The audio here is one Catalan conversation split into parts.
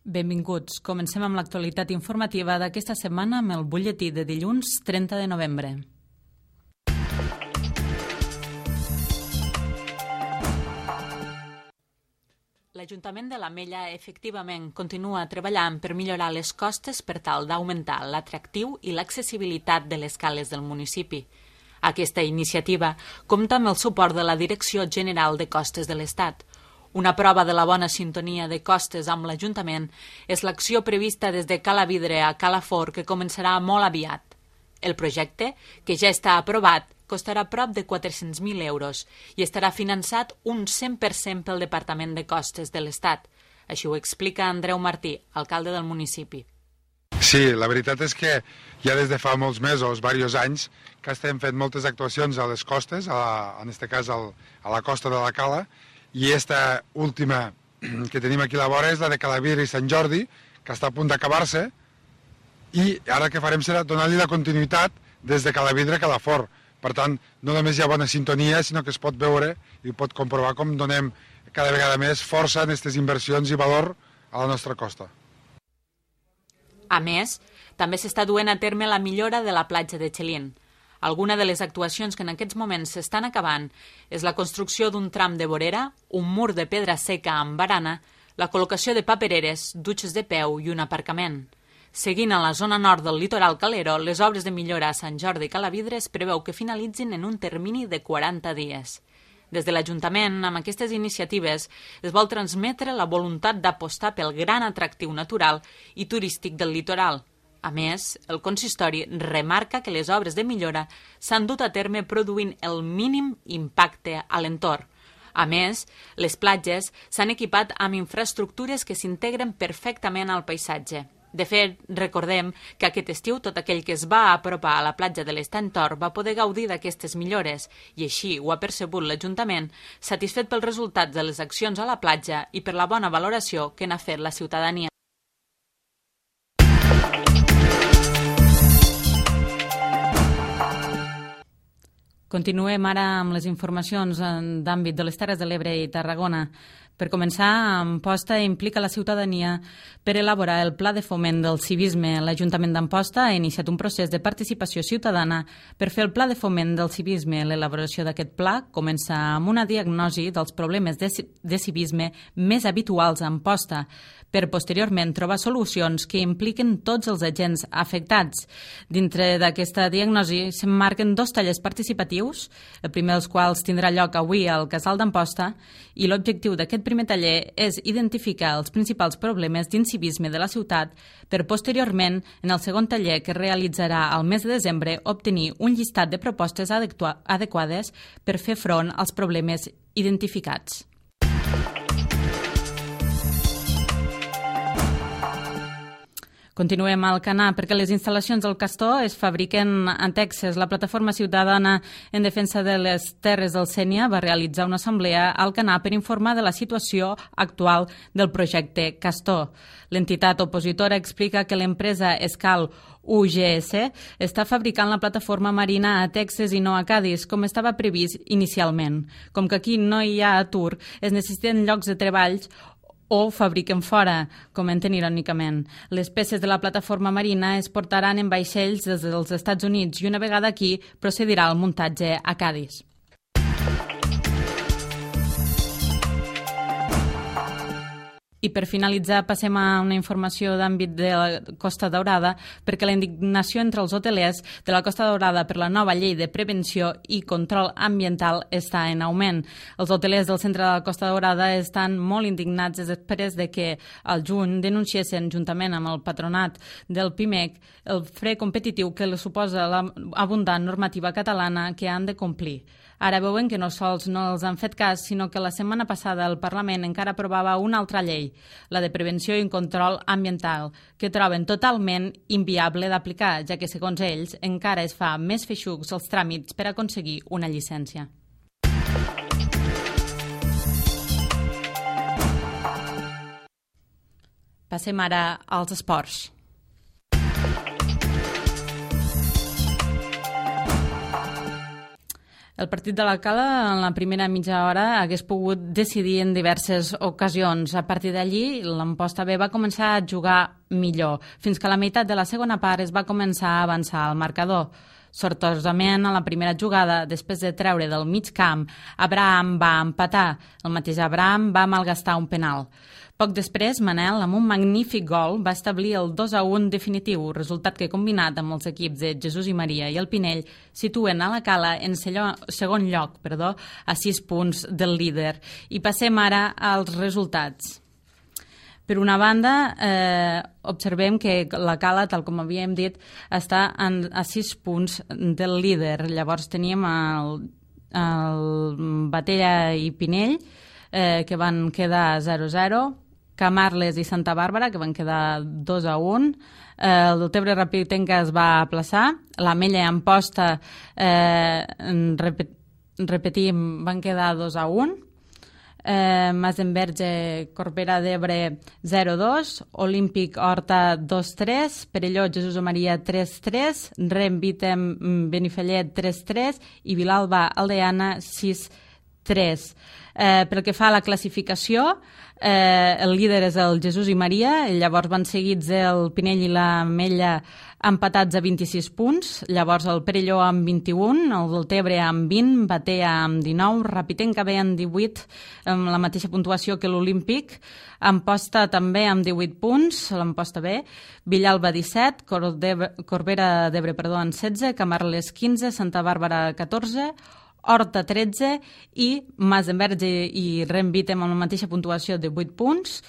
Benvinguts. Comencem amb l'actualitat informativa d'aquesta setmana amb el butlletí de dilluns 30 de novembre. L'Ajuntament de l'Ametlla efectivament continua treballant per millorar les costes per tal d'augmentar l'atractiu i l'accessibilitat de les cales del municipi. Aquesta iniciativa compta amb el suport de la Direcció General de Costes de l'Estat. Una prova de la bona sintonia de costes amb l'Ajuntament és l'acció prevista des de Cala Vidre a Cala Fort, que començarà molt aviat. El projecte, que ja està aprovat, costarà prop de 400.000 euros i estarà finançat un 100% pel Departament de Costes de l'Estat. Així ho explica Andreu Martí, alcalde del municipi. Sí, la veritat és que ja des de fa molts mesos, diversos anys, que estem fent moltes actuacions a les costes, en aquest cas a la costa de la Cala, i aquesta última que tenim aquí a la vora és la de Calavidre i Sant Jordi, que està a punt d'acabar-se, i ara el que farem serà donar-li la continuïtat des de Calavidre a Calafort. Per tant, no només hi ha bona sintonia, sinó que es pot veure i pot comprovar com donem cada vegada més força en aquestes inversions i valor a la nostra costa. A més, també s'està duent a terme la millora de la platja de Xelín. Alguna de les actuacions que en aquests moments s'estan acabant és la construcció d'un tram de vorera, un mur de pedra seca amb barana, la col·locació de papereres, dutxes de peu i un aparcament. Seguint a la zona nord del litoral calero, les obres de millora a Sant Jordi i Calavidre es preveu que finalitzin en un termini de 40 dies. Des de l'Ajuntament, amb aquestes iniciatives, es vol transmetre la voluntat d'apostar pel gran atractiu natural i turístic del litoral. A més, el consistori remarca que les obres de millora s'han dut a terme produint el mínim impacte a l'entorn. A més, les platges s'han equipat amb infraestructures que s'integren perfectament al paisatge. De fet, recordem que aquest estiu tot aquell que es va apropar a la platja de l'Estany Tor va poder gaudir d'aquestes millores i així ho ha percebut l'Ajuntament, satisfet pels resultats de les accions a la platja i per la bona valoració que n'ha fet la ciutadania. Continuem ara amb les informacions d'àmbit de les Terres de l'Ebre i Tarragona. Per començar, Amposta implica la ciutadania per elaborar el Pla de Foment del Civisme. L'Ajuntament d'Amposta ha iniciat un procés de participació ciutadana per fer el Pla de Foment del Civisme. L'elaboració d'aquest pla comença amb una diagnosi dels problemes de civisme més habituals a Amposta, per posteriorment trobar solucions que impliquen tots els agents afectats. Dintre d'aquesta diagnosi s'emmarquen 2 tallers participatius, el primer dels quals tindrà lloc avui al Casal d'Amposta, i l'objectiu d'aquest primer taller és identificar els principals problemes d'incivisme de la ciutat per posteriorment, en el segon taller que es realitzarà al mes de desembre, obtenir un llistat de propostes adequades per fer front als problemes identificats. Continuem al Canà perquè les instal·lacions del Castor es fabriquen a Texas. La Plataforma Ciutadana en Defensa de les Terres del Sénia va realitzar una assemblea al Canà per informar de la situació actual del projecte Castor. L'entitat opositora explica que l'empresa Escal UGS està fabricant la plataforma marina a Texas i no a Cadis, com estava previst inicialment. Com que aquí no hi ha atur, es necessiten llocs de treballs o fabriquen fora, comenten irònicament. Les peces de la plataforma marina es portaran en vaixells des dels Estats Units i una vegada aquí procedirà el muntatge a Cadis. I per finalitzar passem a una informació d'àmbit de la Costa Daurada perquè la indignació entre els hotelers de la Costa Daurada per la nova llei de prevenció i control ambiental està en augment. Els hotelers del centre de la Costa Daurada estan molt indignats després de que al juny denunciessin juntament amb el patronat del PIMEC el fre competitiu que li suposa l'abundant normativa catalana que han de complir. Ara veuen que no sols no els han fet cas, sinó que la setmana passada el Parlament encara aprovava una altra llei, la de prevenció i control ambiental, que troben totalment inviable d'aplicar, ja que, segons ells, encara es fa més feixucs els tràmits per aconseguir una llicència. Passem ara als esports. El partit de la Cala en la primera mitja hora hagués pogut decidir en diverses ocasions. A partir d'allí, l'Amposta B va començar a jugar millor, fins que a la meitat de la segona part es va començar a avançar al marcador. Sortosament, a la primera jugada, després de treure del mig camp, Abraham va empatar. El mateix Abraham va malgastar un penal. Poc després, Manel, amb un magnífic gol, va establir el 2-1 definitiu, resultat que, combinat amb els equips de Jesús i Maria i el Pinell, situen a la Cala en segon lloc, a 6 punts del líder. I passem ara als resultats. Per una banda, observem que la Cala, tal com havíem dit, està a 6 punts del líder. Llavors teníem el Batea i Pinell, que van quedar 0-0, Camarles i Santa Bàrbara, que van quedar 2-1, el Deltebre Rapitenca es va aplaçar, l'Ametlla i Amposta, repetim, van quedar 2-1, Masenverge, Corbera d'Ebre 0-2, Olímpic Horta 2-3, Perelló, Jesús o Maria 3-3, Rem Vitem, Benifallet 3-3 i Vilalba Aldeana 6-3. Pel que fa a la classificació, el líder és el Jesús i Maria, llavors van seguits el Pinell i l'Ametlla empatats a 26 punts, llavors el Perelló amb 21, el Deltebre amb 20, Batea amb 19, Rapitenca B amb 18, amb la mateixa puntuació que l'Olímpic, Amposta també amb 18 punts, l'Amposta B, Villalba 17, Corbera d'Ebre amb 16, Camarles 15, Santa Bàrbara 14, Horta 13 i Masenverge i Renvitem amb la mateixa puntuació de 8 punts,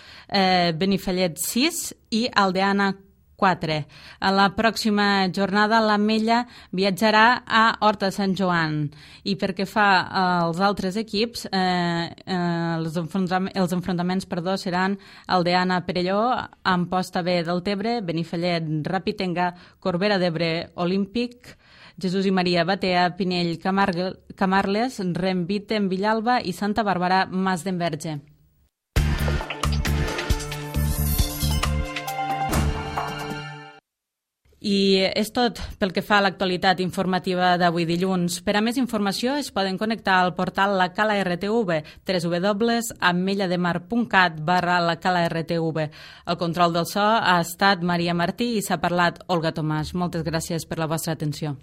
Benifallet 6 i Aldeana 4. A la pròxima jornada l'Ametlla viatjarà a Horta de Sant Joan i perquè fa als altres equips els enfrontaments seran Aldeana Perelló, Amposta B Deltebre, Benifallet Rapitenca, Corbera d'Ebre Olímpic, Jesús i Maria Batea, Pinell Camarles, Renvitem Villalba i Santa Bàrbara Masdenverge. I és tot pel que fa a l'actualitat informativa d'avui dilluns. Per a més informació es poden connectar al portal La Cala RTV, www.ametlademar.cat/lacalartv. El control del so ha estat Maria Martí i s'ha parlat Olga Tomàs. Moltes gràcies per la vostra atenció.